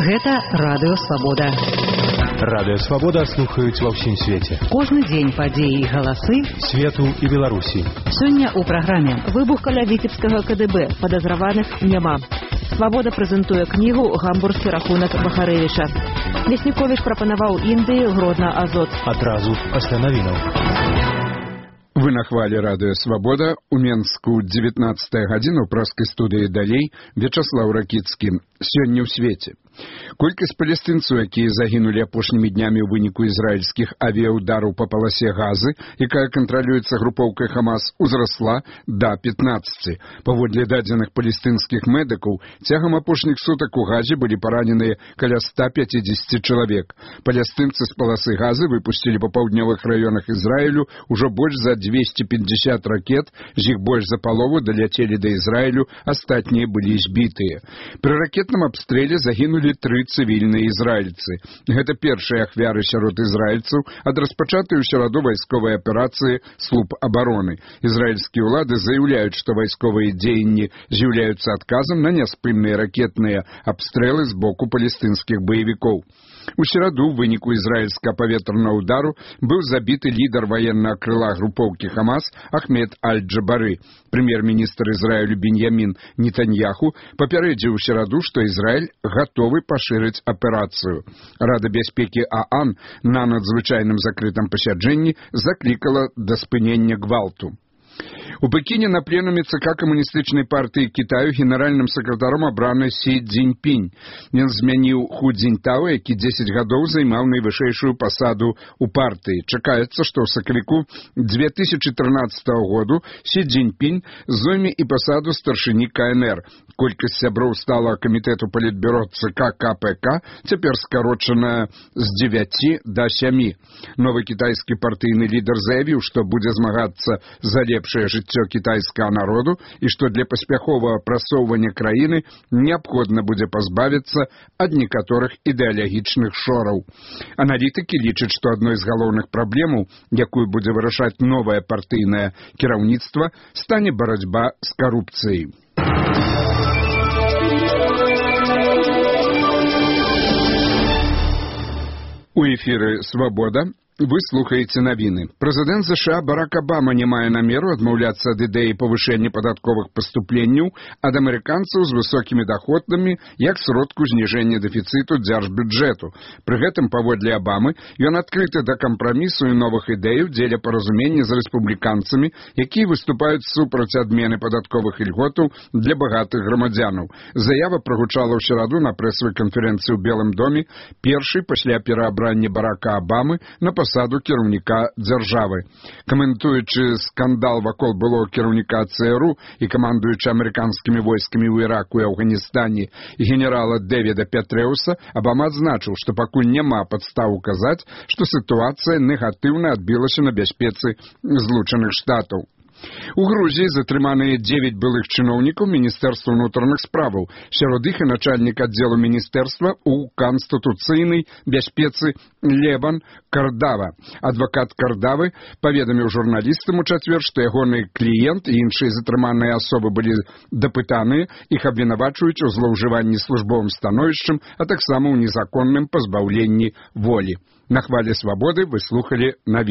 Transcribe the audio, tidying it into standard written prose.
Гэта Радыё Свабода. Радыё Свабода слухаюць ва ўсім свеце. Кожны дзень падзеі і галасы свету і Беларусі. Сёння ў праграме выбух каля віцебскага КДБ, падазраваных няма. Свабода прэзентуе кнігу «Гамбургскі рахунак Бахарэвіча». Лесніковіч прапанаваў Індыі Гродна Азот. Адразу пасля навінаў. Вы на хвале Радыё Свабода. У Менску 19 гадзіна ў праскай студыі далей Вячаслаў Ракіцкі. Сёння ў свеце. Колькасць палестынцаў, якія загінулі апошнімі днямі ў выніку ізраільскіх авіаудараў па паласе Газы, якая кантралюецца групоўкай Хамас, узрасла да 15. Паводле дадзеных палестынскіх медыкаў, цягам апошніх сутак у Газе былі параненыя каля 150 чалавек. Палестынцы з паласы Газы выпусцілі па паўднёвых раёнах Ізраілю ўжо больш за 250 ракет, з іх больш за палову даляцелі да Ізраілю, астатнія былі збітыя. Пры ракетным абстрэле загінулі 3 цывільныя ізраільцы. Гэта першыя ахвяры сярод ізраільцаў ад распачатай у сераду вайсковай аперацыі «Слуп абароны». Ізраільскія ўлады заяўляюць, што вайсковыя дзеянні з'яўляюцца адказам на няспынныя ракетныя абстрэлы з боку палестынскіх баевікоў. У сераду ў выніку ізраільскага паветранага ўдару быў забіты лідар ваеннага крыла групоўкі Хамас Ахмед Аль-Джабары. Прэм'ер-міністр Ізраілю Беньямін Нетаньяху папярэдзіў у сераду, што Ізраіль гатовы пашырыць аперацыю. Рада бяспекі ААН на надзвычайным закрытым пасяджэнні заклікала да спынення гвалту. У Пекіне на пленуме ЦК Камуністычнай партыі Кітаю генеральным сакратаром абраны Сі Цзіньпінь. Ён змяніў Ху Цзіньтао, які 10 гадоў займаў найвышэйшую пасаду ў партыі. Чакаецца, што ў сакавіку 2013 году Сі Цзіньпінь зойме і пасаду старшыні КНР. Колькасць сяброў сталага камітэту палітбюро ЦК КПК цяпер скарочаная з 9 да 7. Новы кітайскі партыйны лідар заявіў, што будзе змагацца за лепшае жыццё кітайскага народу і што для паспяховага прасоўвання краіны неабходна будзе пазбавіцца ад некаторых ідэалагічных шораў. Аналітыкі лічаць, што адной з галоўных праблемаў, якую будзе вырашаць новае партыйнае кіраўніцтва, стане барацьба з карупцыяй. У эфіры «Свабода». Вы слухаеце навіны. Прэзідэнт США Барак Абама не мае намеру адмаўляцца ад ідэі павышэння падатковых паступленняў ад амерыканцаў з высокімі даходамі як сродку зніжэння дэфіцыту дзяржбюджэту. Пры гэтым, паводле Абамы, ён адкрыты да кампрамісу і новых ідэяў дзеля паразумення з рэспубліканцамі, якія выступаюць супраць адмены падатковых ільготаў для багатых грамадзянаў. Заява прагучала ў сераду на прэсавай канферэнцыі ў Белым доме, першай пасля пераабрання Барака Абамы на пасаду кіраўніка дзяржавы. Каментуючы скандал вакол былога кіраўніка ЦРУ і камандуючы амерыканскімі войскамі ў Іраку і Афганістане генерала Дэвіда Петрэуса, Абама адзначыў, што пакуль няма падстаў указаць, што сітуацыя негатыўна адбілася на бяспецы Злучаных Штатаў. У Грузіі затрыманыя 9 былых чыноўнікаў Міністэрства ўнутраных справаў. Сярод іх і начальнік аддзелу міністэрства ў канстытуцыйнай бяспецы Лебан Кардава. Адвакат Кардавы паведаміў журналістам у чацвер, што ягоны кліент і іншыя затрыманыя асобы былі дапытаныя, іх абвінавачваюць у злоўжыванні службовым становішчам, а таксама ў незаконным пазбаўленні волі. На хвале Свабоды вы слухалі навіны.